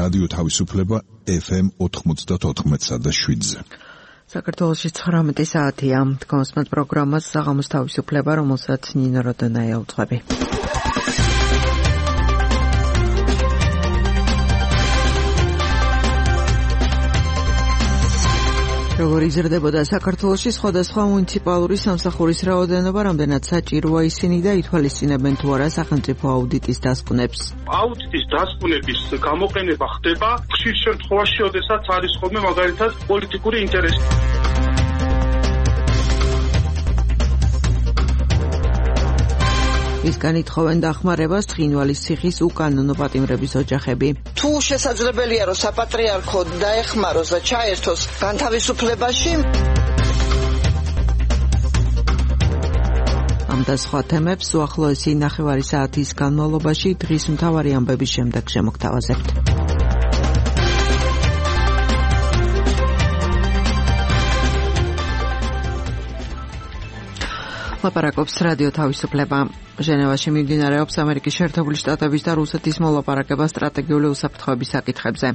რადიო თავისუფლება FM 94.7-ზე. საქართველოში 19 საათია. კონსმეთ პროგრამას საღამოს თავისუფლება, რომელსაც ნინო როდონაია უძღვები. როგორ იზრდებოდა საქართველოში სხვადასხვა მუნიციპალური სამსახურის რაოდენობა, რამდენად საჭიროა ისინი და ითვალისწინებენ თუ არა სახელმწიფო აუდიტის დასკვნებს. აუდიტის დასკვნების გამოყენება ხდება ხშირ შემთხვევაში, როდესაც არის ხოლმე მაგალითად პოლიტიკური ინტერესი. ისგან ითხოვენ დახმარებას ცხინვალის ციხის უკანონო პატიმრების ოჯახები. თუ შესაძლებელია რომ საპატრიარქო დაეხმაროს და ჩაერთოს განთავისუფლებაში. ამ და სხვა თემებს უახლოესი 9 საათის განმავლობაში დღის მთავარი ამბების შემდეგ შემოგთავაზებთ. ლაპარაკობს რადიო თავისუფლება. ჟენევაში მიმდინარეობს ამერიკის შეერთებული შტატების და რუსეთის მოლაპარაკება სტრატეგიული უსაფრთხოების საკითხებზე.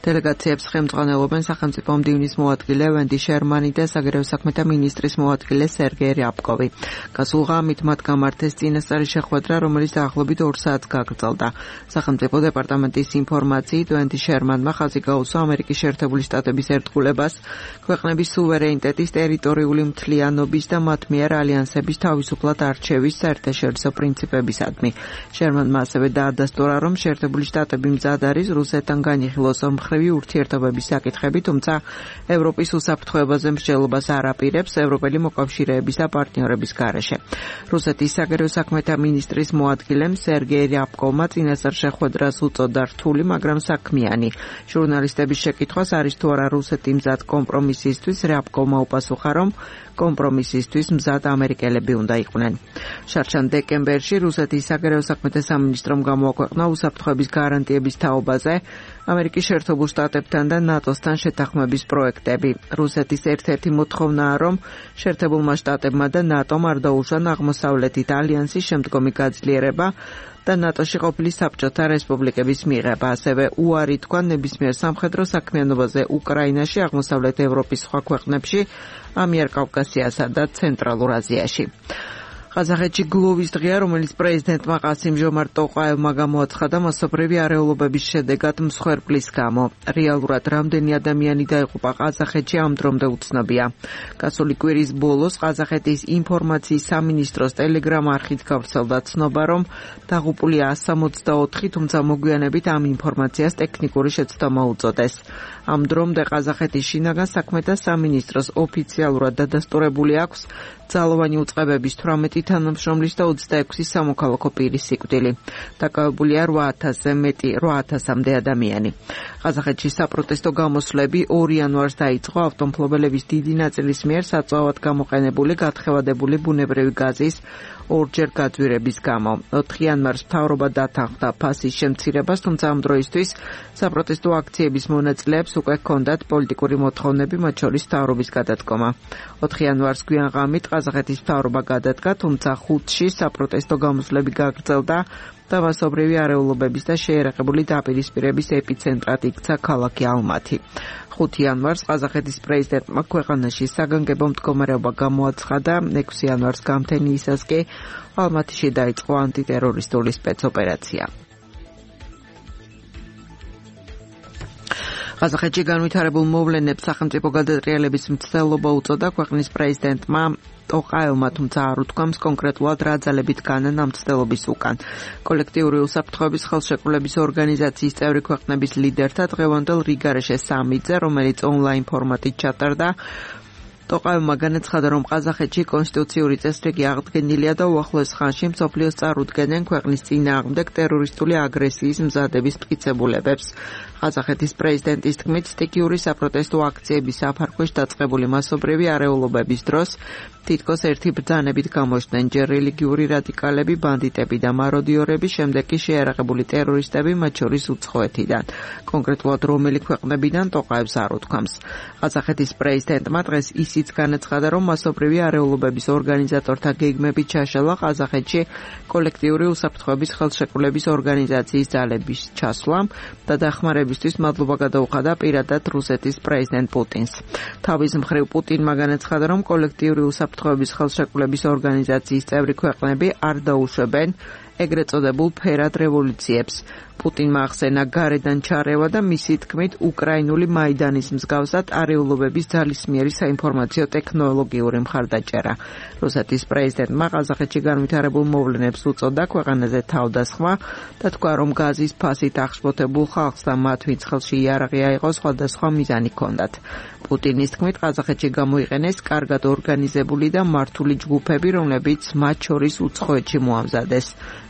დელეგაციებს ხელმძღვანელობენ სახელმწიფო მდივნის მოადგილე ვენდი შერმანი და საგარეო საქმეთა მინისტრის მოადგილე სერგეი რიაბკოვი. გასულ ღამით მათ გამართეს წინასწარი შეხვედრა, რომელიც დაახლოებით 2 საათს გაგრძელდა. სახელმწიფო დეპარტამენტის ინფორმაციით ვენდი შერმანმა ხაზი გაუსვა ამერიკის შეერთებული შტატების ერთგულებას, ქვეყნების სუვერენიტეტის, ტერიტორიული მთლიანობის და მათ მიერ ალიანსების თავისუფლად არჩევის საერთაშორისო პრინციპებისადმი. შერმანმა ასევე დაადასტურა, რომ შეერთებული შტატები მზად არის რუსეთთან განიხილოს ორმხრივი ურთიერთობების საკითხები, თუმცა ევროპის უსაფრთხოებაზე მსჯელობას არ აპირებს ევროპელი მოკავშირეების და პარტნიორების გარეშე. რუსეთის საგარეო საქმეთა მინისტრის მოადგილემ სერგეი რიაბკოვმა წინასწარ შეხვედრას უწოდა რთული, მაგრამ საქმიანი. ჟურნალისტების შეკითხვას არის თუ არა რუსეთი მზად კომპრომისისთვის, რიაბკოვმა უპასუხა, რომ კომპრომისისთვის მზად ამერიკელები უნდა იყვნენ. შარშან დეკემბერში რუსეთის საგარეო საქმეთა სამინისტრომ გამოაქვეყნა უსაფრთხოების გარანტიების თაობაზე ამერიკის შეერთებულ შტატებთან და ნატოსთან შეთანხმების პროექტები. რუსეთის ერთ-ერთი მოთხოვნაა, რომ შეერთებულმა შტატებმა და ნატომ არ დაუშვან აღმოსავლეთით ალიანსის შემდგომი გაძლიერება და ნატოში ყოფილი საბჭოთა რესპუბლიკების მიღება. ასევე უარი თქვა ნებისმიერ სამხედრო საქმიანობაზე უკრაინაში, აღმოსავლეთ ევროპის სხვა ქვეყნებში, ამიერკავკასიასა და ცენტრალურ აზიაში. ყაზახეთში გლოვის დღეა, რომელიც პრეზიდენტმა ყასიმ-ჟომართ ტოყაევმა გამოაცხადა მასობრივი არეულობების შედეგად მსხვერპლის გამო. რეალურად რამდენი ადამიანი დაიღუპა ყაზახეთში ამ დრომდე უცნობია. გასული კვირის ბოლოს ყაზახეთის ინფორმაციის სამინისტროს ტელეგრამ არხით გავრცელდა ცნობა, რომ დაღუპულია 164, თუმცა მოგვიანებით ამ ინფორმაციას ტექნიკური შეცდომა უწოდეს. ამ დრომდე ყაზახეთის შინაგან საქმეთა სამინისტროს ოფიციალურად დადასტურებული აქვს ძალოვანი უწყებების 18 თანამშრომლის და 26 სამოქალაქო პირის სიკვდილი. დაკავებულია 8,000-მდე ადამიანი. ყაზახეთში საპროტესტო გამოსვლები 2 იანვარს დაიწყო ავტომფლობელების დიდი ნაწილის მიერ საწვავად გამოყენებული გათხევადებული ბუნებრივი გაზის ორჯერ გაძვირების გამო. 4 იანვარს მთავრობა დათანხმდა ფასის შემცირებას, თუმცა ამ დროისთვის საპროტესტო აქციების მონაწილეებს უკვე ჰქონდათ პოლიტიკური მოთხოვნები, მათ შორის მთავრობის გადადგომა. 4 იანვარს გვიან ღამით ყაზახეთის მთავრობა გადადგა, თუმცა 5-ში საპროტესტო გამოსვლები გაგრძელდა და მასობრივი არეულობების და შეერაღებული დაპირისპირების ეპიცენტრად იქცა ქალაქი ალმათი. 5 იანვარს ყაზახეთის პრეზიდენტმა ქვეყანაში საგანგებო მდგომარეობა გამოაცხადა, 6 იანვარს გამთენიისას კი ალმათიში დაიწყო ანტიტერორისტული სპეცოპერაცია. ყაზახეთში განვითარებულ მოვლენებს სახელმწიფო გადატრიალების მცდელობა უწოდა ქვეყნის პრეზიდენტმა ტოყაევმა, თუმცა არ უთქვამს კონკრეტულად რა ძალებით განან ამ მცდელობის უკან. კოლექტიური უსაფრთხოების ხელშეკრულების ორგანიზაციის წევრი ქვეყნების ლიდერთა დღევანდელ რიგარეშე სამიტზე, რომელიც ონლაინ ფორმატით ჩატარდა, ტოყაევმა განაცხადა, რომ ყაზახეთში კონსტიტუციური წესრიგი აღდგენილია და უახლოეს ხანში მსოფლიოს წარუდგენენ ქვეყნის წინააღმდეგ ტერორისტული აგრესიის მზადების მტკიცებულებებს. ყაზახეთის პრეზიდენტის თქმით, სტიქიური საპროტესტო აქციების საფარქვეშ დაწყებული მასობრივი არეულობების დროს თითქოს ერთი ბრძანებით გამოჩნდნენ ჯერ რელიგიური რადიკალები, ბანდიტები და მაროდიორები, შემდეგ კი შეერაღებული ტერორისტები, მათ შორის უცხოეთიდან. კონკრეტულად რომელი ქვეყნებიდან ტოყაევს არ უთქვამს. ყაზახეთის პრეზიდენტმა დღეს ისიც განაცხადა, რომ მასობრივი არეულობების ორგანიზატორთა გეგმებით ჩაშალა ყაზახეთში კოლექტიური უსაფრთხოების ხელშეკრულების ორგანიზაციის ძალების ჩასვლამ და დახმარების გამოსაყენებლისათვის მადლობა გადაუხადა პირადად რუსეთის პრეზიდენტ პუტინს. თავის მხრივ პუტინმა განაცხადა, რომ კოლექტიური უსაფრთხოების ხელშეკრულების ორგანიზაციის წევრი ქვეყნები არ დაუშვებენ ეგრეთ წოდებულ ფერად რევოლუციებს. პუტინმა ახსენა გარედან ჩარევა და მისი თქმით უკრაინული მაიდანის მსგავსად არეულობების ძალისმიერი საინფორმაციო ტექნოლოგიური მხარდაჭერა. რუსეთის პრეზიდენტმა ყაზახეთში განვითარებულ მოვლენებს უწოდა ქვეყანაზე თავდასხმა და თქვა, რომ გაზის ფასით აღშფოთებულ ხალხს და მათ ვინც ხელში იარაღი აიღო სხვადასხვა მიზანი ჰქონდათ. პუტინის თქმით ყაზახეთში გამოიყენეს კარგად ორგანიზებული და მართული ჯგუფები, რომლებიც მათ შორის უცხოეთში მოამზადეს.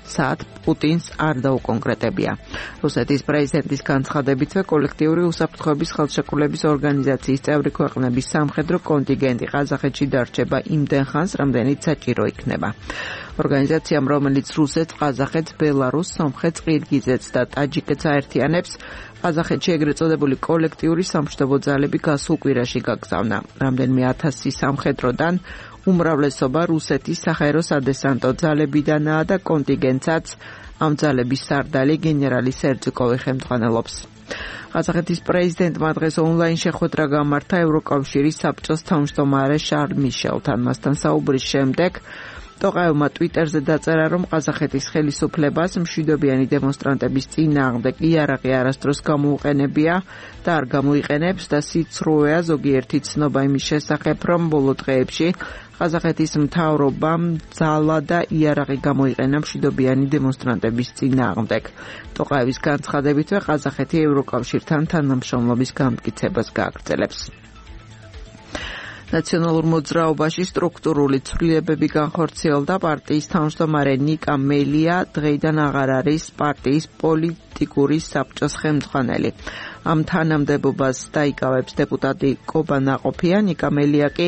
საათ პუტინს არ დაუკონკრეტებია. რუსეთის პრეზიდენტის განცხადებითვე კოლექტიური უსაფრთხოების ხელშეკრულების ორგანიზაციის წევრი ქვეყნების სამხედრო კონტინგენტი ყაზახეთში დარჩება იმდენ ხანს, რამდენიც საჭირო იქნება. ორგანიზაციამ, რომელიც რუსეთს, ყაზახეთს, ბელარუსს, სომხეთს, ყირგიზეთს და ტაჯიკეთს აერთიანებს, ყაზახეთში ეგრეთ წოდებული კოლექტიური სამშვიდობო ძალები გასულ კვირაში გაგზავნა. რამდენიმე ათასი სამხედროდან უმრავლესობა რუსეთის საჰაერო სადესანტო ძალებიდანაა და კონტინგენტსაც ამ ძალების სარდალი გენერალი სერჯიკოვი ხელმძღვანელობს. ყაზახეთის პრეზიდენტმა დღეს ონლაინ შეხვედრა გამართა ევროკავშირის საბჭოს თავმჯდომარე შარლ მიშელთან. მასთან საუბრის შემდეგ ტოყაევმა ტვიტერზე დაწერა, რომ ყაზახეთის ხელისუფლებას მშვიდობიანი დემონსტრანტების წინააღმდეგ იარაღი არასდროს გამოუყენებია და არ გამოიყენებს და სიცრუეა ზოგიერთი ცნობა იმის შესახებ, რომ ბოლო დღეებში ყაზახეთის მთავრობამ ძალა და იარაღი გამოიყენა მშვიდობიანი დემონსტრანტების წინააღმდეგ. ტოყაევის განცხადებითვე ყაზახეთი ევროკავშირთან თანამშრომლობის განმტკიცებას გააგრძელებს. ნაციონალურ მოძრაობაში სტრუქტურული ცვლილებები განხორციელდა. პარტიის თავმჯდომარე ნიკა მელია დღეიდან აღარ არის პარტიის პოლიტიკური საბჭოს ხელმძღვანელი. ამ თანამდებობას დაიკავებს დეპუტატი კობა ნაყოფია. ნიკა მელია კი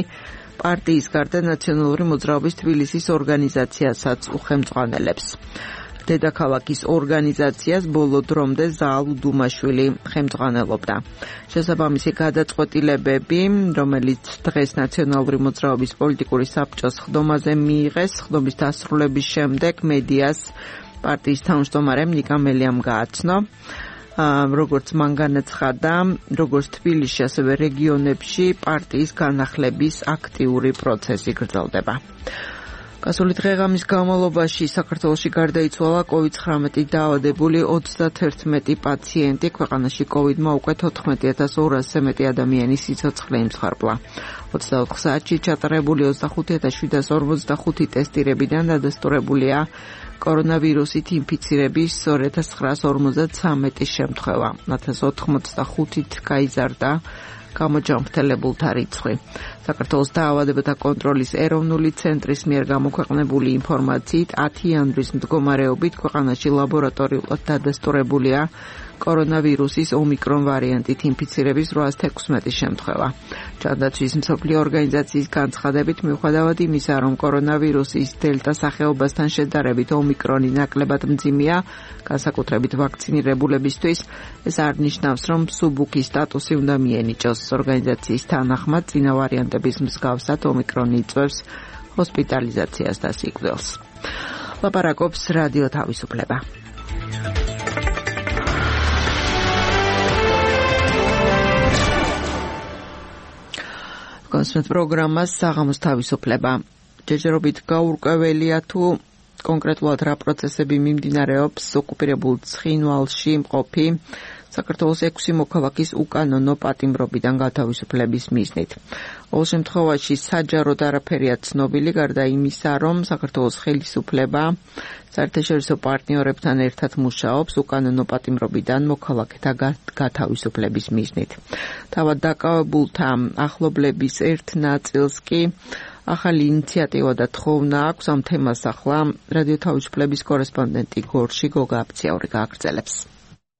პარტიის გარდა ნაციონალური მოძრაობის თბილისის ორგანიზაციასაც უხელმძღვანელებს. დედაქალაქის ორგანიზაციას ბოლო დრომდე ზაალ უდუმაშვილი ხელმძღვანელობდა. შესაბამისი გადაწყვეტილებები, რომელიც დღეს ნაციონალური მოძრაობის პოლიტიკური საბჭოს ხდომაზე მიიღეს, ხდომის დასრულების შემდეგ მედიას პარტიის თავმჯდომარემ ნიკა მელიამ გააცნო. როგორც მან განაცხადა, როგორც თბილისში, ასევე რეგიონებში პარტიის განახლების აქტიური პროცესი გრძელდება. გასული დღეღამის განმავლობაში საქართველოში გარდაიცვალა COVID-19 დაავადებული 31 პაციენტი. ქვეყანაში COVID-მა უკვე 14,200-ზე მეტი ადამიანის სიცოცხლე იმსხარბლა. 24 საათში ჩატარებული 25,745 ტესტირებიდან დადასტურებულია კორონავირუსით ინფიცირების 2953 შემთხვევა. 1085-ით გაიზარდა გამოჯანმრთელებულთა რიცხვი. საქართველოს დაავადებათა კონტროლის ეროვნული ცენტრის მიერ გამოქვეყნებული ინფორმაციით 10 იანვრის მდგომარეობით ქვეყანაში ლაბორატორიულად დადასტურებულია კორონავირუსის ომიკრონ ვარიანტით ინფიცირების 816 შემთხვევა. ჯანდაცვის მსოფლიო ორგანიზაციის განცხადებით, მიუხედავად იმისა, რომ კორონავირუსის დელტა სახეობასთან შედარებით ომიკრონი ნაკლებად მძიმეა, განსაკუთრებით ვაქცინირებულებისთვის, ეს არ ნიშნავს, რომ მსუბუქი სტატუსი უნდა მიენიჭოს. ორგანიზაციის თანახმად, წინა ვარიანტების მსგავსად ომიკრონი იწვევს ჰოსპიტალიზაციას და სიკვდილს. ლაპარაკობს რადიო თავისუფლება. კონსმეთ პროგრამას საღამოს თავისუფლება. ჯერჯერობით გაურკვეველია თუ კონკრეტულად რა პროცესები მიმდინარეობს ოკუპირებულ ცხინვალში მყოფი საქართველოს 6 მოქალაქის უკანონო პატიმრობიდან გათავისუფლების მიზნით. ყოველ შემთხვევაში საჯაროდ არაფერია ცნობილი, გარდა იმისა, რომ საქართველოს ხელისუფლება საერთაშორისო პარტნიორებთან ერთად მუშაობს უკანონო პატიმრობიდან მოქალაქეთა გათავისუფლების მიზნით. თავად დაკავებულთა ახლობლების ერთ ნაწილს კი ახალი ინიციატივა და თხოვნა აქვს. ამ თემას ახლა რადიო თავისუფლების კორესპონდენტი გორში გოგა აფციაური გააგრძელებს.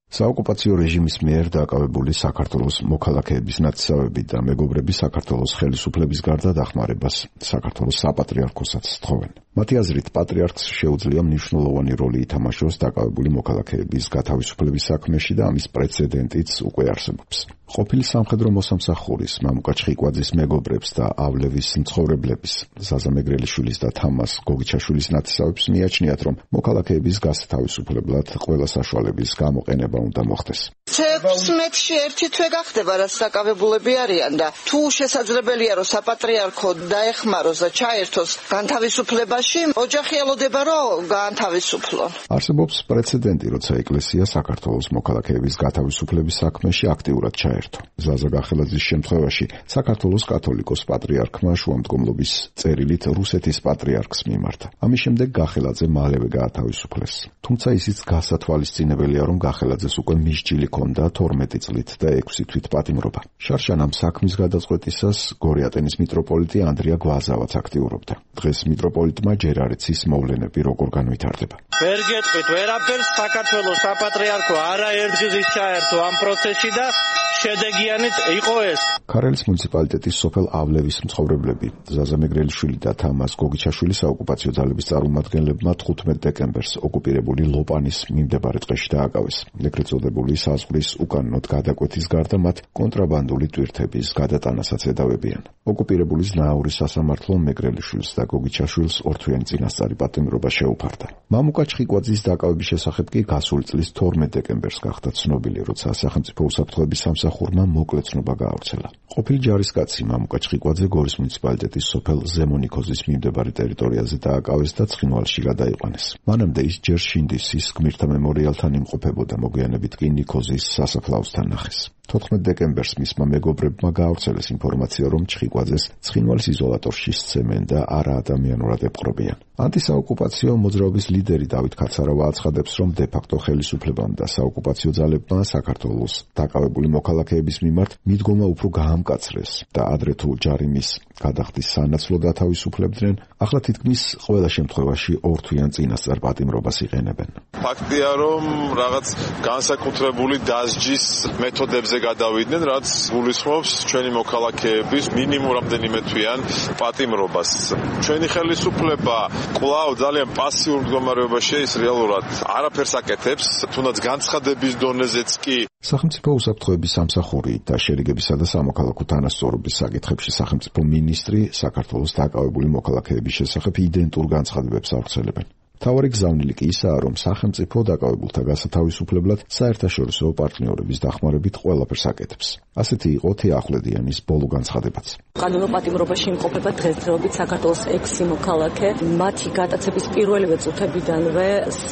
საოკუპაციო რეჟიმის მიერ დაკავებული საქართველოს მოქალაქეების ნათესავები და მეგობრები საქართველოს ხელისუფლების გარდა დახმარებას საქართველოს საპატრიარქოსაც თხოვენ. მათი აზრით, პატრიარქს შეუძლია მნიშვნელოვანი როლი ითამაშოს დაკავებული მოქალაქეების გათავისუფლების საქმეში და ამის პრეცედენტიც უკვე არსებობს. ყოფილი სამხედრო მოსამსახურის მამუკა ჩხიკვაძის მეგობრებს და ავლევის მცხოვრებლების ზაზა მეგრელიშვილის და თამას გოგიჩაშვილის ნათესავებს მიაჩნიათ, რომ მოქალაქეების გასათავისუფლებლად ყველა საშუალების გამოყენება უნდა მოხდეს. 16-ში ერთი თვე გახდება, რაც დაკავებულები არიან და თუ შესაძლებელია, რომ საპატრიარქო დაეხმაროს და ჩაერთოს განთავისუფლებაში, ოჯახი ელოდება, რომ გაანთავისუფლონ. არსებობს პრეცედენტი, როცა ეკლესია საქართველოს მოქალაქეების გათავისუფლების საქმეში აქტიურად ჩაერთო. ზაზა გახელაძის შემთხვევაში საქართველოს კათოლიკოს პატრიარქმა შუამდგომლობის წერილით რუსეთის პატრიარქს მიმართა. ამის შემდეგ გახელაძე მალევე გაათავისუფლეს. თუმცა ისიც გასათვალისწინებელია, რომ გახელაძეს უკვე მისჯილი ჰქონდა 12 წლით და 6 თვით პატიმრობა. შარშან ამ საქმის გადაწყვეტისას გორიატენის მიტროპოლიტი ანდრია გვაზავაც აქტიურობდა. დღეს მიტროპოლიტმა ჯერ არ იცის მოვლენები როგორ განვითარდება. ვერ გეტყვით ვერაფერს, საქართველოს საპატრიარქო არაერთგზის ჩაერთო ამ პროცესში და შედეგიანიც იყო ეს. ქარელის მუნიციპალიტეტის სოფელ ავლევის მცხოვრებლები ზაზა მეგრელიშვილი და თამას გოგიჩაშვილი საოკუპაციო ძალების წარმომადგენლებმა 15 დეკემბერს ოკუპირებული ლოპანის მიმდებარე ტყეში დააკავეს. ეგრეთ წოდებული საზღვრის უკანონოდ გადაკვეთის გარდა მათ კონტრაბანდული ტვირთების გადატანასაც ედავებიან. ოკუპირებული ზნაურის სასამართლო მეგრელიშვილს და გოგიჩაშვილს ორთვიანი წინასწარი პატიმრობა შეუფარდა. მამუკა ჩხიკვაძის დაკავების შესახებ კი გასული წლის 12 დეკემბერს გახდა ცნობილი, როცა სახელმწიფო უსაფრთხოების სამსახურმა მოკლე ცნობა გაავრცელა. ყოფილი ჯარისკაცი მამუკა ჩხიკვაძე გორის მუნიციპალიტეტის სოფელ ზემონიქოზის მიმდებარე ტერიტორიაზე დააკავეს და ცხინვალში გადაიყვანეს. მანამდე ის ჯერ შინდისის გმირთა მემორიალთან იმყოფებოდა, მოგვიანებით კი ნიქოზის სასაფლაოსთან ნახეს. 14 დეკემბერს მისმა მეგობრებმა გაავრცელეს ინფორმაცია, რომ ჩხიკვაძეს ცხინვალის იზოლატორში სცემენ და არაადამიანურად ეპყრობიან. ანტისაოკუპაციო მოძრაობის ლიდერი დავით ქაცარავა აცხადებს, რომ დე-ფაქტო ხელისუფლებამ და საოკუპაციო ძალებმა საქართველოს დაკავებული მოქალაქეების მიმართ მიდგომა უფრო გაამკაცრეს და ადრე თუ ჯარიმის გადახდის სანაცვლოდ ათავისუფლებდნენ, ახლა თითქმის ყველა შემთხვევაში ორთვიან წინასწარ პატიმრობას იყენებენ. ფაქტია, რომ რაღაც განსაკუთრებული დასჯის მეთოდებზე გადავიდნენ, რაც გულისხმობს ჩვენი მოქალაქეების მინიმუმ რამდენიმე თვიან პატიმრობას. ჩვენი ხელისუფლება კვლავ ძალიან პასიურ მდგომარეობაში ის რეალურად არაფერს აკეთებს, თუნდაც განცხადების დონეზეც კი. სახელმწიფო უსაფრთხოების სამსახური და შერიგებისა და სამოქალაქო თანასწორობის საკითხებში სახელმწიფო მინისტრი საქართველოს დაკავებული მოქალაქეების შესახებ იდენტურ განცხადებებს ავრცელებენ. მთავარი გზავნილი კი ისაა, რომ სახელმწიფო დაკავებულთა გასათავისუფლებლად საერთაშორისო პარტნიორების დახმარებით ყველაფერს აკეთებს. ასეთი იყო თეახვლედიანის ბოლო განცხადებაც. კანონო პატიმრობაში იმყოფება დღესდღეობით საქართველოს 6 მოქალაქე. მათი გატაცების პირველივე წუთებიდანვე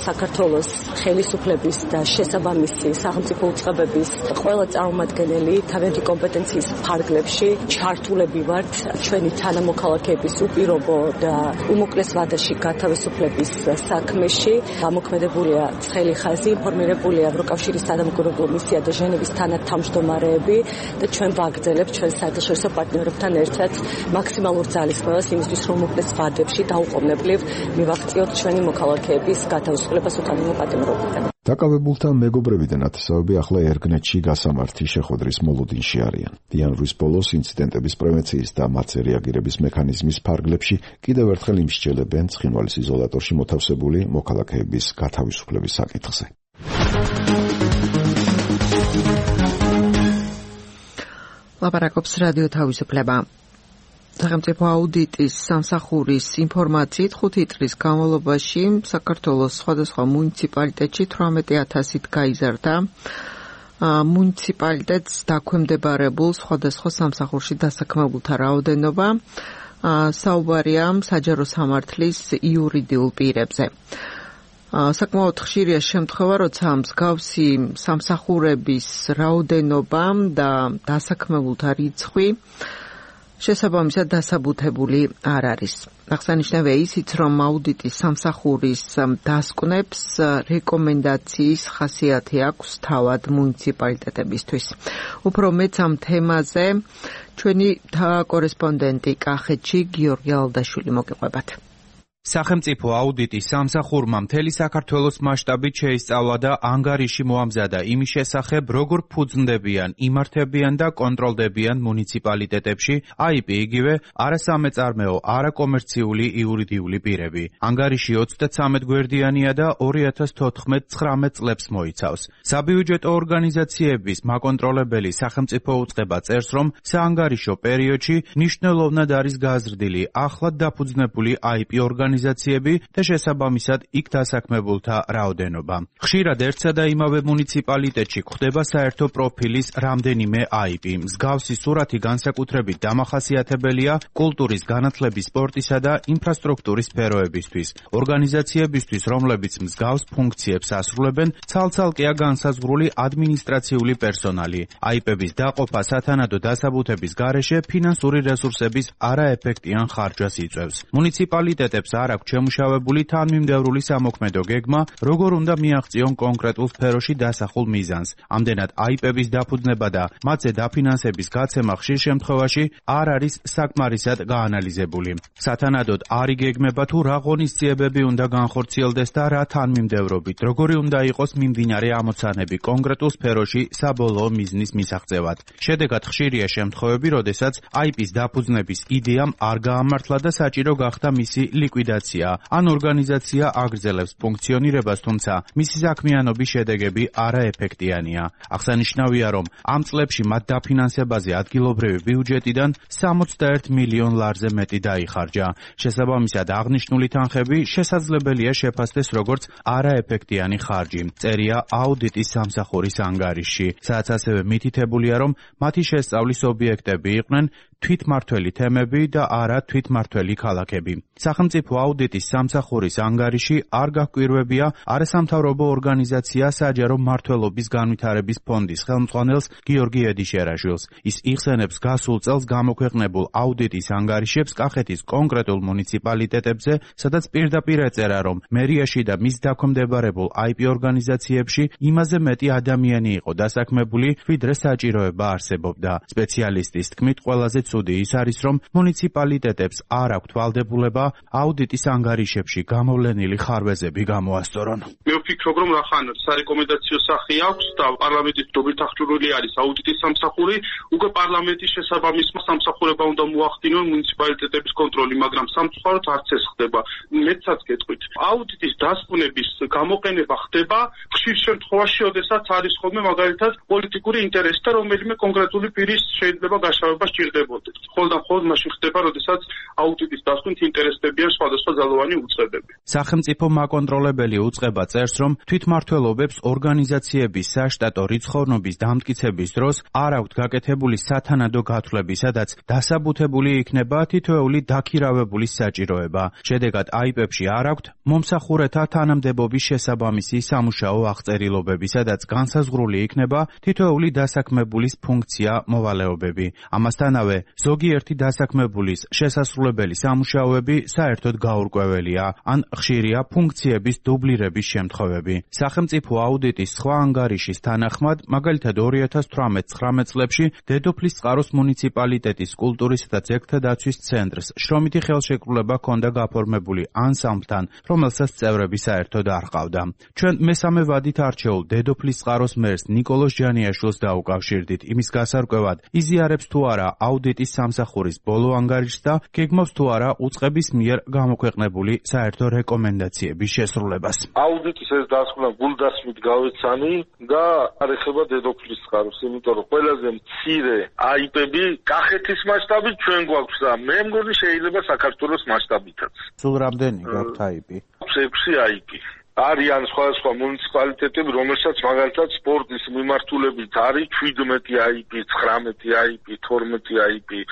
საქართველოს ხელისუფლების და შესაბამისი სახელმწიფო უწყებების ყველა წარმომადგენელი თავიანთი კომპეტენციის ფარგლებში ჩართულები ვართ ჩვენი თანამოქალაქეების უპირობო და უმოკლეს ვადაში გათავისუფლების საქმეში. გამოქმედებულია ცხელი ხაზი, ინფორმირებულია ევროკავშირის სადამკვირვებლო მისია და ჟენევის თანათავმჯდომარეები და ჩვენ ვაგრძელებთ ჩვენ საერთაშორისო პარტნიორებთან ერთად მაქსიმალურ ძალისხმევას იმისთვის, რომ უმოკლეს ვადებში დაუყოვნებლივ მივაღწიოთ ჩვენი მოქალაქეების გათავისუფლებას უკანონო პატიმრობიდან. დაკავებულთა მეგობრები და ნათესავები ახლა ერგნეტში გასამართი შეხვედრის მოლოდინში არიან. იანვრის ბოლოს ინციდენტების პრევენციის და მათზე რეაგირების მექანიზმის ფარგლებში კიდევ ერთხელ იმსჯელებენ ცხინვალის იზოლატორში მოთავსებული მოქალაქეების გათავისუფლების საკითხზე. ლაპარაკობს რადიო თავისუფლება. სახელმწიფო აუდიტის სამსახურის ინფორმაციით 5 წლის განმავლობაში საქართველოს სხვადასხვა მუნიციპალიტეტში 18,000-ით გაიზარდა მუნიციპალიტეტს დაქვემდებარებულ სხვადასხვა სამსახურში დასაქმებულთა რაოდენობა. საუბარია საჯარო სამართლის იურიდიულ პირებზე. საკმაოდ ხშირია შემთხვევა, როცა მსგავსი სამსახურების რაოდენობა და დასაქმებულთა რიცხვი შესაბამისად დასაბუთებული არ არის. აღსანიშნავია ისიც, რომ აუდიტის სამსახურის დასკვნებს რეკომენდაციის ხასიათი აქვს თავად მუნიციპალიტეტებისთვის. უფრო მეც ამ თემაზე ჩვენი კორესპონდენტი კახეთში გიორგი ალდაშვილი მოგიყვებათ. სახელმწიფო აუდიტის სამსახურმა მთელი საქართველოს მასშტაბით შეისწავლა და ანგარიში მოამზადა იმის შესახებ, როგორ ფუძნდებიან, იმართებიან და კონტროლდებიან მუნიციპალიტეტებში IP იგივე არასამეწარმეო, არაკომერციული იურიდიული პირები. ანგარიში 33 გვერდიანია და 2014-19 წლებს მოიცავს. საბიუჯეტო ორგანიზაციების მაკონტროლებელი სახელმწიფო უწყება წერს, რომ საანგარიშო პერიოდში მნიშვნელოვნად არის გაზრდილი ახლად დაფუძნებული IP ორგანიზაციები და შესაბამისად იქ დასაქმებულთა რაოდენობა. ხშირად ერთსა და იმავე მუნიციპალიტეტში გვხდება საერთო პროფილის რამდენიმე IP. მსგავსი სურათი განსაკუთრებით დამახასიათებელია კულტურის, განათლების, სპორტისა და ინფრასტრუქტურის სფეროებისთვის. ორგანიზაციებისთვის, რომლებიც მსგავს ფუნქციებს ასრულებენ, ცალ-ცალკეა განსაზღვრული ადმინისტრაციული პერსონალი. IP-ების დაყოფა სათანადო დასაბუთების გარეშე ფინანსური რესურსების არაეფექტიან ხარჯვას იწვევს. მუნიციპალიტეტებს არ აქვს შემუშავებული თანმიმდევრული სამოქმედო გეგმა, როგორ უნდა მიაღწიონ კონკრეტულ სფეროში დასახულ მიზანს. ამდენად IP-ების დაფუძნება და მათზე დაფინანსების გაცემა ხშირ შემთხვევაში არ არის საკმარისად გაანალიზებული. სათანადოდ არ იგეგმება თუ რა ღონისძიებები უნდა განხორციელდეს და რა თანმიმდევრობით, როგორი უნდა იყოს მიმდინარე ამოცანები კონკრეტულ სფეროში საბოლოო მიზნის მისაღწევად. შედეგად ხშირია შემთხვევები, როდესაც IP-ს დაფუძნების იდეამ არ გაამართლა და საჭირო გახდა მისი ლიკვიდაცია, ან ორგანიზაცია აგრძელებს ფუნქციონირებას, თუმცა მისი საქმიანობის შედეგები არაეფექტიანია. აღსანიშნავია, რომ ამ წლებში მათ დაფინანსებაზე ადგილობრივი ბიუჯეტიდან 61 მილიონ ლარზე მეტი დაიხარჯა. შესაბამისად, აღნიშნული თანხები შესაძლებელია შეფასდეს როგორც არაეფექტიანი ხარჯი. წერია აუდიტის სამსახურის ანგარიშში, სადაც ასევე მითითებულია, რომ მათი შესწავლის ობიექტები იყვნენ თვითმართველი თემები და არა თვითმართველი ქალაქები. სახელმწიფო აუდიტის სამსახურის ანგარიში არ გაჰკვირვებია არასამთავრობო ორგანიზაცია საჯარო მმართველობის განვითარების ფონდის ხელმძღვანელს გიორგი ედიშერაშვილს. ის იხსენებს გასულ წელს გამოქვეყნებულ აუდიტის ანგარიშებს კახეთის კონკრეტულ მუნიციპალიტეტებზე, სადაც პირდაპირ ეწერა, რომ მერიაში და მის დაქვემდებარებულ IP ორგანიზაციებში იმაზე მეტი ადამიანი იყო დასაქმებული, ვიდრე საჭიროება არსებობდა. სპეციალისტის თქმით, ყველაზე ცუდი ის არის, რომ მუნიციპალიტეტებს არ აქვთ ვალდებულება აუდიტის ანგარიშებში გამოვლენილი ხარვეზები გამოასწორონ. მე ვფიქრობ, რომ რახან სარეკომენდაციო სახე აქვს და პარლამენტის მდობით აღჭურვილი არის აუდიტის სამსახური, უკვე პარლამენტის შესაბამის სამსახურება უნდა მოახდინონ მუნიციპალიტეტების კონტროლი, მაგრამ სამწუხაროდ არც ეს ხდება. მეცაც გეტყვით, აუდიტის დასკვნების გამოყენება ხდება ხშირ შემთხვევაში, როდესაც არის ხოლმე მაგალითად პოლიტიკური ინტერესი და რომელიმე კონკრეტული პირის შეიძლება გაშავება სჭირდებოდეს. ხოლმე მაშინ ხდება, როდესაც აუდიტის დასკვნით ინტერესდებიან სხვადასხვა ძალოვანი უწყებები. სახელმწიფო მაკონტროლებელი უწყება წერს, რომ თვითმმართველობებს ორგანიზაციების საშტატო რიცხოვნობის დამტკიცების დროს არ აქვთ გაკეთებული სათანადო გათვლები, სადაც დასაბუთებული იქნება თითოეული დაქირავებულის საჭიროება. შედეგად IP-ებში არ აქვთ მომსახურეთა თანამდებობის შესაბამისი სამუშაო აღწერილობები, სადაც განსაზღვრული იქნება თითოეული დასაქმებულის ფუნქცია, მოვალეობები. ამასთანავე, ზოგიერთი დასაქმებულის შესასრულებელი სამუშაოები საერთოდ გაურკვეველია, ან ხშირია ფუნქციების დუბლირების შემთხვევები. სახელმწიფო აუდიტის სხვა ანგარიშის თანახმად, მაგალითად 2018-19 წლებში დედოფლისწყაროს მუნიციპალიტეტის კულტურისა და ძეგლთა დაცვის ცენტრს შრომითი ხელშეკრულება ჰქონდა გაფორმებული ანსამბლთან, რომელსაც წევრები საერთოდ არ ჰყავდა. ჩვენ მესამე ვადით არჩეულ დედოფლისწყაროს მერს ნიკოლოზ ჯანიაშვილს დაუკავშირდით იმის გასარკვევად, იზიარებს თუ არა აუდიტის სამსახურის ბოლო ანგარიშს და გეგმავს თუ არა უწყების მიერ გამოქვეყნებული საერთო რეკომენდაციების შესრულებას. აუდიტის ეს დასკვნა გულდასმით გავეცანი და არ ეხება დედოფლისწყაროს, იმიტომ რომ ყველაზე მცირე IP-ები კახეთის მასშტაბით ჩვენ გვაქვს და მე მგონი შეიძლება საქართველოს მასშტაბითაც. სულ რამდენი გაქვთ IP? 6 IP. არიან სხვადასხვა მუნიციპალიტეტები, რომელსაც მაგალითად სპორტის მიმართულებით არის 17 IP, 19 IP, 12 IP.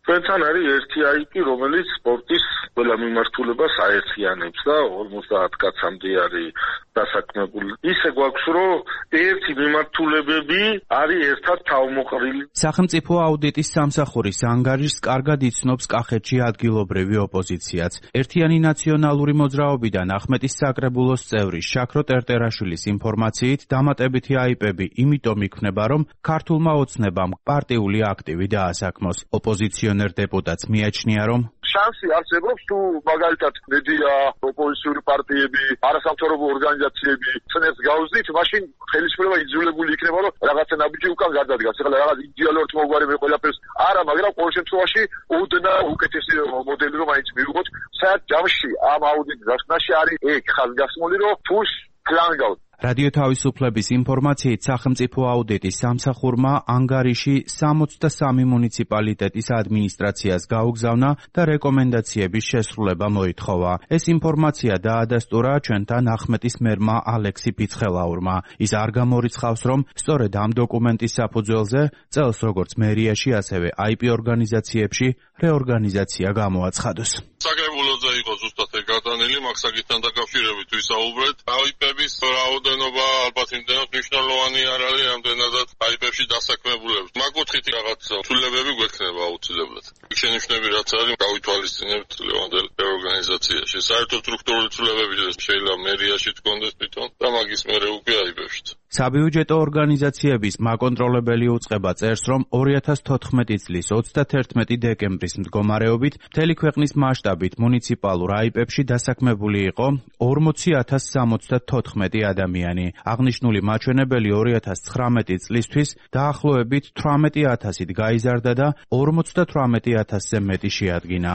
ჩვენთან არის ერთი IP, რომელიც სპორტის ყველა მიმართულებას აერთიანებს და 50 კაცამდე არის დასაქმებული. ისე გვაქვს, რომ ერთი მიმართულებები არის ერთად თავმოყრილი. სახელმწიფო აუდიტის სამსახურის ანგარიშს კარგად იცნობს კახეთში ადგილობრივი ოპოზიციაც. ერთიანი ნაციონალური მოძრაობიდან ახმეტის საკრებულოს წევრი შაქრო ტერტერაშვილის ინფორმაციით, დამატებითი IP-ები იმიტომ იქმნება, რომ ქართულმა ოცნებამ პარტიული აქტივი დაასაქმოს. ოპოზიციონერი ოპოზიციონერ დეპუტატს მიაჩნია, რომ შანსი არსებობს თუ მაგალითად მედია, ოპოზიციური პარტიები, არასამთავრობო ორგანიზაციები წნებს გავზდით, მაშინ ხელისუფლება იძულებული იქნება, რომ რაღაცა ნაბიჯი უკან გადადგას. ეხლა რაღაც იდეალურად მოგვარებენ ყველაფერს არა, მაგრამ ყოველ შემთხვევაში ოდნა უკეთესი მოდელი რომ მაინც მივიღოთ. საერთოდ ჯამში ამ აუდიტის გასვნაში არის ეგ ხაზგასმული, რომ ფულს კლანგავთ. რადიო თავისუფლების ინფორმაციით სახელმწიფო აუდიტის სამსახურმა ანგარიში 63 მუნიციპალიტეტის ადმინისტრაციას გაუგზავნა და რეკომენდაციების შესრულება მოითხოვა. ეს ინფორმაცია დაადასტურა ჩვენთან ახმეტის მერმა ალექსი ფიცხელაურმა. ის არ გამორიცხავს, რომ სწორედ ამ დოკუმენტის საფუძველზე წელს როგორც მერიაში, ასევე IP ორგანიზაციებში რეორგანიზაცია გამოაცხადოს. საკრებულოზე იყო ზუსტად ეგ გადანილი, მაგ საკითხთან დაკავშირებით ვისაუბრეთ. IP-ების რაოდენობა ალბათ იმდენად მნიშვნელოვანი არ არის, რამდენადაც IP-ებში დასაქმებულებს. მაგ კუთხით რაღაც ცვლილებები გვექნება აუცილებლად. იქ შენიშვნები რაც არის, გავითვალისწინებთ ლევანდელ რეორგანიზაციაში. საერთო სტრუქტურული ცვლილებები შეიძლება მერიაში თქონდეს თვითონ და მაგის მერე უკვე IP-ებშიც. საბიუჯეტო ორგანიზაციების მაკონტროლებელი უწყება წერს, რომ 2014 წლის 31 დეკემბრის მდგომარეობით მთელი ქვეყნის მასშტაბით მუნიციპალურ IP-ებში დასაქმებული იყო 40,074 ადამიანი. აღნიშნული მაჩვენებელი 2019 წლისთვის დაახლოებით 18,000-ით გაიზარდა და 58,000-ზე მეტი შეადგინა.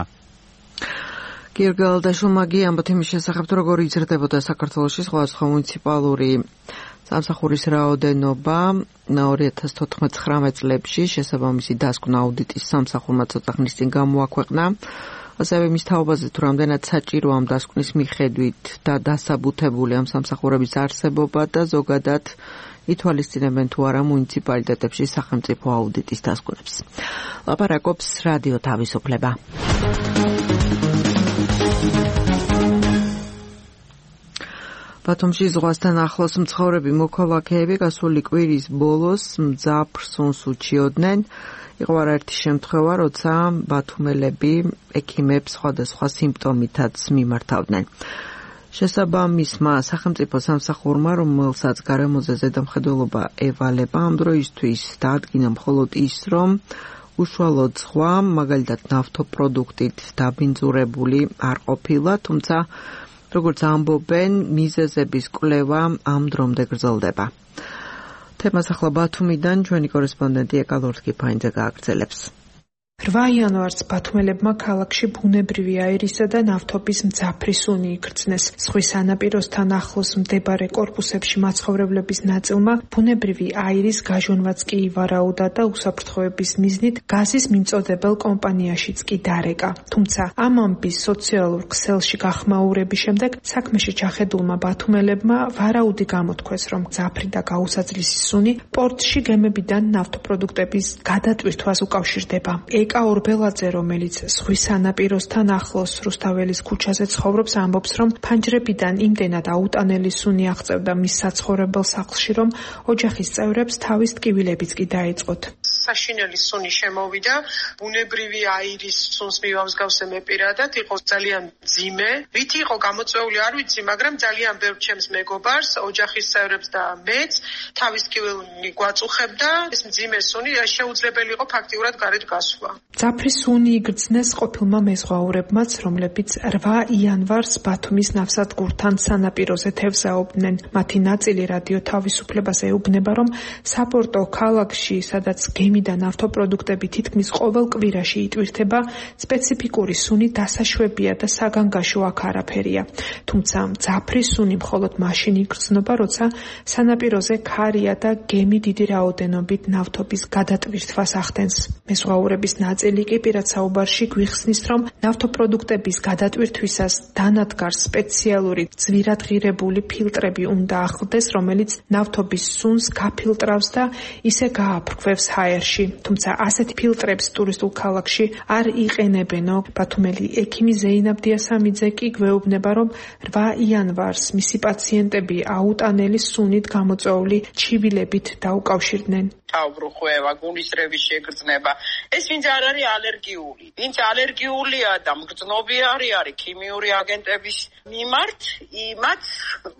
გიორგალდაშვილმა ამბობთ იმის შესახებ, როგორ იზრდებოდა საქართველოში სხვადასხვა მუნიციპალური სამსახურის რაოდენობა 2014-19 წლებში შესაბამისი დასკვნა აუდიტის სამსახურმა ცოტა ხნის წინ გამოაქვეყნა. ასევე მის თაობაზე თუ რამდენად საჭირო ამ დასკვნის მიხედვით და დასაბუთებული ამ სამსახურების არსებობა და ზოგადად ითვალისწინებენ თუ არა მუნიციპალიტეტებში სახელმწიფო აუდიტის დასკვნებს. ლაპარაკობს რადიო თავისუფლება. ბათუმში ზღვასთან ახლოს მცხოვრები მოქალაქეები გასული კვირის ბოლოს მძაფრ სუნს უჩიოდნენ. იყო არაერთი შემთხვევა, როცა ბათუმელები ექიმებს სხვადასხვა სიმპტომითაც მიმართავდნენ. შესაბამისმა სახელმწიფო სამსახურმა, რომელსაც გარემოზე ზედამხედველობა ევალება, ამ დროისთვის დაადგინა მხოლოდ ის, რომ უშუალოდ ზღვა, მაგალითად ნავთობპროდუქტით დაბინძურებული არ ყოფილა, თუმცა როგორც ამბობენ, მიზეზების კვლევა ამ დრომდე გრძელდება. თემას ახლა ბათუმიდან ჩვენი კორესპონდენტი ეკალორთკი ფაინძე გააგრძელებს. 8 იანვარს ბათუმელებმა ქალაქში ბუნებრივი აირისა და ნავთობის მძაფრი სუნი იგრძნეს. ზღვის სანაპიროსთან ახლოს მდებარე კორპუსებში მაცხოვრებლების ნაწილმა ბუნებრივი აირის გაჟონვაც კი ივარაუდა და უსაფრთხოების მიზნით გაზის მიმწოდებელ კომპანიაშიც კი დარეკა. თუმცა ამ ამბის სოციალურ ქსელში გახმაურების შემდეგ საქმეში ჩახედულმა ბათუმელებმა ვარაუდი გამოთქვეს, რომ მძაფრი და გაუსაძლისი სუნი პორტში გემებიდან ნავთობპროდუქტების გადატვირთვას უკავშირდება. ეკა ორბელაძე, რომელიც ზღვის სანაპიროსთან ახლოს რუსთაველის ქუჩაზე ცხოვრობს, ამბობს, რომ ფანჯრებიდან იმდენად აუტანელი სუნი აღწევდა მის საცხოვრებელ სახლში, რომ ოჯახის წევრებს თავის ტკივილებიც კი დაეწყოთ. საშინელი სუნი შემოვიდა, ბუნებრივი აირის სუნს მივამსგავსე მე პირადად, იყო ძალიან მძიმე. რით იყო გამოწვეული არ ვიცი, მაგრამ ძალიან ბევრ ჩემს მეგობარს, ოჯახის წევრებს და მეც თავის ტკივილნი გვაწუხებდა. ეს მძიმე სუნი შეუძლებელი იყო ფაქტიურად გარეთ გასვლა. მძაფრი სუნი იგრძნეს ყოფილმა მეზღვაურებმაც, რომლებიც 8 იანვარს ბათუმის ნავსადგურთან სანაპიროზე თევზაობდნენ. მათი ნაწილი რადიო თავისუფლებას ეუბნება, რომ საპორტო ქალაქში, სადაც გემი და ნავთობპროდუქტები თითქმის ყოველ კვირაში იტვირთება, სპეციფიკური სუნი დასაშვებია და საგანგაშო აქ არაფერია. თუმცა მძაფრი სუნი მხოლოდ მაშინ იგრძნობა, როცა სანაპიროზე ქარია და გემი დიდი რაოდენობით ნავთობის გადატვირთვას ახდენს. მეზღვაურების ნაწილი კი პირად საუბარში გვიხსნის, რომ ნავთობპროდუქტების გადატვირთვისას დანადგარს სპეციალური ძვირადღირებული ფილტრები უნდა ახლდეს, რომელიც ნავთობის სუნს გაფილტრავს და ისე გააფრქვევს ჰაერში. თუმცა ასეთი ფილტრებს ტურისტულ ქალაქში არ იყენებენო. ბათუმელი ექიმი ზეინაბ დიასამიძე კი გვეუბნება, რომ 8 იანვარს მისი პაციენტები აუტანელი სუნით გამოწვეული ჩივილებით დაუკავშირდნენ. თავბრუხვევა, გულისრევის შეგრძნება. ეს ვინც არ არის ალერგიული. ვინც ალერგიულია და მგრძნობიარი არის ქიმიური აგენტების მიმართ, იმათ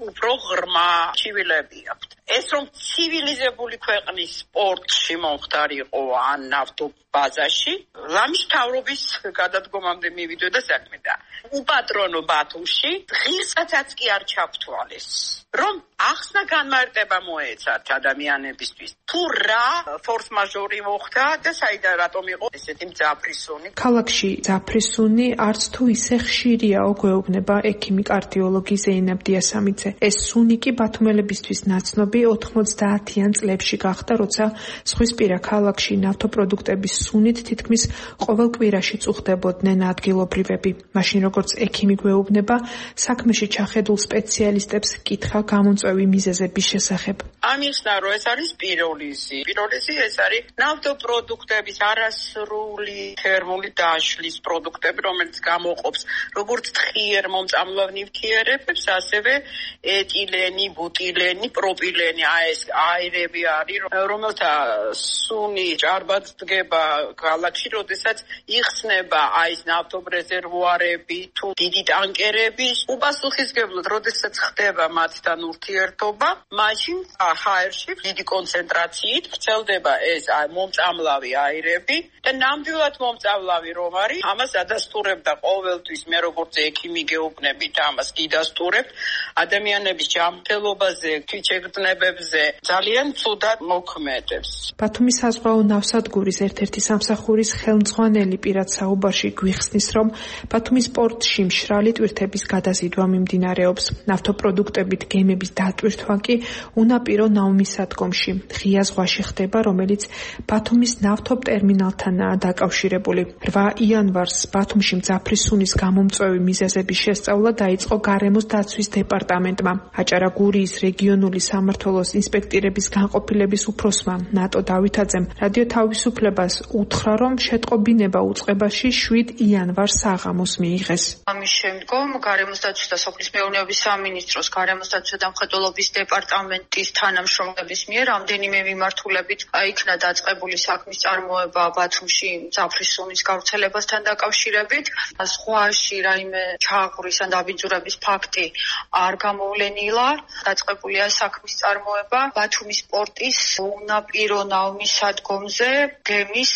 უფრო ღრმა ჩივილები აქვთ. ეს რომ ცივილიზებული ქვეყნის სპორტში მომხდარიყო ან ნავთობ ბაზაში ლამის მთავრობის გადადგომამდე მივიდო და საქმე და უპატრონო ბათუმში ღირსაცაც კი არ ჩაფთვალეს რომ ახსნა განმარტება მოეცათ ადამიანებისთვის თუ რა ფორს მაჟორი მოხდა და საიდან რატომ იყო ესეთი მძაფრისუნი ქალაქში მძაფრისუნი არც თუ ისე ხშირიაო გვეუბნება ექიმი კარდიოლოგი ზეინებ დიასამიძე ეს სუნი კი ბათუმელებისთვის ნაცნობი 90-იან წლებში გახდა როცა ზღვისპირა ქალაქში ნავთობპროდუქტების სუნით თითქმის ყოველ კვირაში წუხდებოდნენ ადგილობრივები მაშინ როგორც ექიმი გვეუბნება საქმეში ჩახედულ სპეციალისტებს კითხა გამომწვევი მიზეზების შესახებ ამიხსნა რომ ეს არის პიროლიზი ეს არის ნავთობპროდუქტების არასრული თერმული დაშლის პროდუქტები რომელიც გამოყოფს როგორც თხიერ მომწამლავ ნივთიერებებს ასევე ეტილენი ბუტილენი პროპილენი ეს აირები არის რომელთა სუნი ჭარბად დგება ქალაქში როდესაც იხსნება ეს ნავთობრეზერვუარები თუ დიდი ტანკერები უპასუხისგებლად როდესაც ხდება მათთან ურთიერთობა მაშინ ჰაერში დიდი კონცენტრაციით ვრცელდება ეს მომწამლავი აირები და ნამდვილად მომწამლავი რომ არის ამას ადასტურებდა ყოველთვის მე როგორც ექიმი გეუბნებით ამას გიდასტურებთ ადამიანების ჯანმრთელობაზე თვითშეგრძნებებზე ძალიან ცუდად მოქმედებს ბათუმის საზღვაო ნავსადგურის ერთ-ერთი სამსახურის ხელმძღვანელი პირად საუბარში გვიხსნის რომ ბათუმის პორტში მშრალი ტვირთების გადაზიდვა მიმდინარეობს ნავთობპროდუქტებით გემების დატვირთვა კი უნაპირო ნავმისადგომში ღია ზღვაში ხდება რომელიც ბათუმის ნავთობტერმინალთანაა დაკავშირებული 8 იანვარს ბათუმში მძაფრისუნის გამომწვევი მიზეზების შესწავლა დაიწყო გარემოს დაცვის დეპარტამენტმა აჭარა-გურიის რეგიონული სამმართველოს ინსპექტირების განყოფილების უფროსმა ნატო დავითაძემ რადიო თავისუფლებას უთხრა რომ შეტყობინება უწყებაში 7 იანვარს საღამოს მიიღეს ამის შემდგომ გარემოს დაცვის და სოფლის მეურნეობის სამინისტროს გარემოს დაცვის და მხედველობის დეპარტამენტის თანამშრომლების მიერ რამდენიმე მიმართულებით იქნა დაწყებული საქმის წარმოება ბათუმში მძაფრისუნის გავრცელებასთან დაკავშირებით ზღვაში რაიმე ჩააღურის ან დაბინძურების ფაქტი არ გამოვლენილა დაწყებულია საქმის წარმოება ბათუმის პორტის უნაპირო ნავმისადგომზე გემის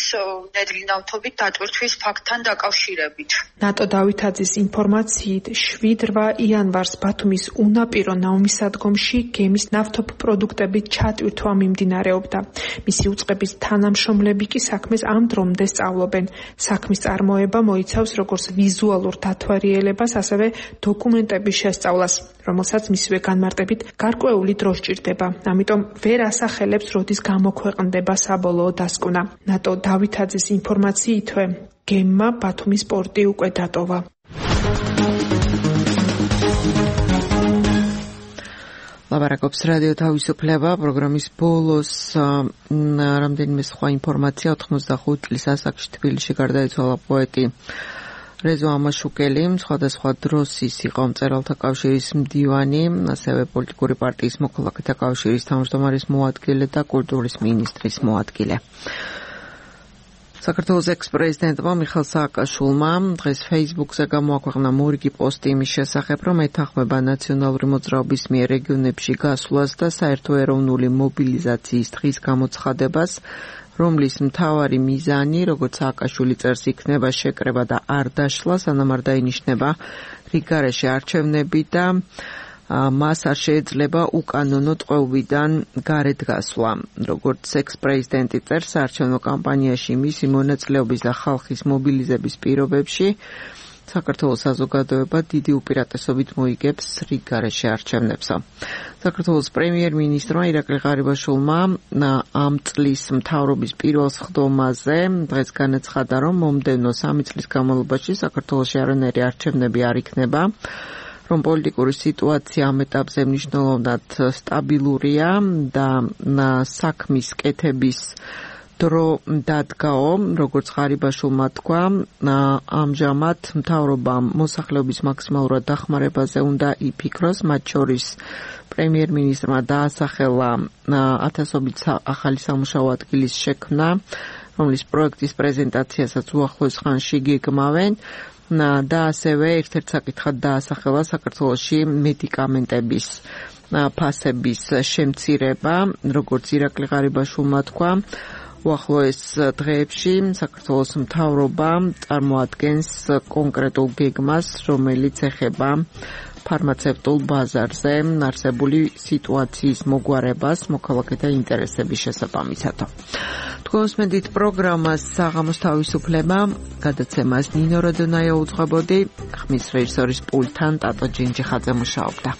ნედლი ნავთობით დატვირთვის ფაქტთან დაკავშირებით ნატო დავითაძის ინფორმაციით 7-8 იანვარს ბათუმის უნაპირო ნავმისადგომში გემის ნავთობპროდუქტებით ჩატვირთვა მიმდინარეობდა მისი უწყების თანამშრომლები კი საქმეს ამ დრომდე სწავლობენ საქმის წარმოება მოიცავს როგორც ვიზუალურ დათვალიერებას ასევე დოკუმენტების შესწავლას რომელსაც მისივე განმარტებით გარკვეული დრო სჭირდება ამიტომ ვერ ასახელებს როდის გამოქვეყნდება საბოლოო დასკვნა ნატო დავითაძის ინფორმაციითვე გემმა ბათუმის პორტი უკვე დატოვა ლაბარაკობს რადიო თავისუფლება პროგრამის ბოლოს რამდენიმე სხვა ინფორმაცია 85 წლის ასაკში თბილისში გარდაიცვალა პოეტი რეზო ამაშუკელი სხვადასხვა დროს ის იყო მწერალთა კავშირის მდივანი ასევე პოლიტიკური პარტიის მოქალაქეთა კავშირის თავმჯდომარის მოადგილე და კულტურის მინისტრის მოადგილე საქართველოს ექს-პრეზიდენტმა მიხეილ სააკაშვილმა დღეს Facebook-ზე გამოაქვეყნა მორიგი პოსტი იმის შესახებ, რომ ეთანხმება ნაციონალური მოძრაობის მიერ რეგიონებში გასვლას და საერთო ეროვნული მობილიზაციის დღის გამოცხადებას, რომლის მთავარი მიზანი, როგორც სააკაშვილი წერს, იქნება შეკრება და არ დაშლა, სანამ არ დაინიშნება რიგგარეშე არჩევნები და მას არ შეიძლება უკანონო ტყვეობიდან გარეთ გასვლა. როგორც ექს-პრეზიდენტი წერს, საარჩევნო კამპანიაში მისი მონაწილეობის და ხალხის მობილიზების პირობებში საქართველოს საზოგადოება დიდი უპირატესობით მოიგებს რიგგარეშე არჩევნებსა. საქართველოს პრემიერ-მინისტრმა ირაკლი ღარიბაშვილმა ამ წლის მთავრობის პირველ სხდომაზე დღეს განაცხადა, რომ მომდევნო 3 წლის განმავლობაში საქართველოში არანაირი არჩევნები არ იქნება. რომ პოლიტიკური სიტუაცია ამ ეტაპზე მნიშვნელოვნად სტაბილურია და საქმის კეთების დრო დადგაო, როგორც ღარიბაშვილმა თქვა, ამჟამად მთავრობამ მოსახლეობის მაქსიმალურად დახმარებაზე უნდა იფიქროს, მათ შორის პრემიერ-მინისტრმა დაასახელა ათასობით ახალი სამუშაო ადგილის შექმნა, რომლის პროექტის პრეზენტაციასაც უახლოეს ხანში გეგმავენ. და ასევე ერთ-ერთ საკითხად დაასახელა საქართველოში მედიკამენტების ფასების შემცირება, როგორც ირაკლი ღარიბაშვილმა თქვა, უახლოეს დღეებში საქართველოს მთავრობა წარმოადგენს კონკრეტულ გეგმას, რომელიც ეხება ფარმაცევტულ ბაზარზე არსებული სიტუაციის მოგვარებას მოქალაქეთა ინტერესების შესაბამისად. თქვენს მედით პროგრამას საღამოს თავისუფლება გადაცემას ნინო როდონაია უძღვებოდი, ხმის რეჟისორის პულტთან ტატო ჯინჯიხაძე მუშაობდა.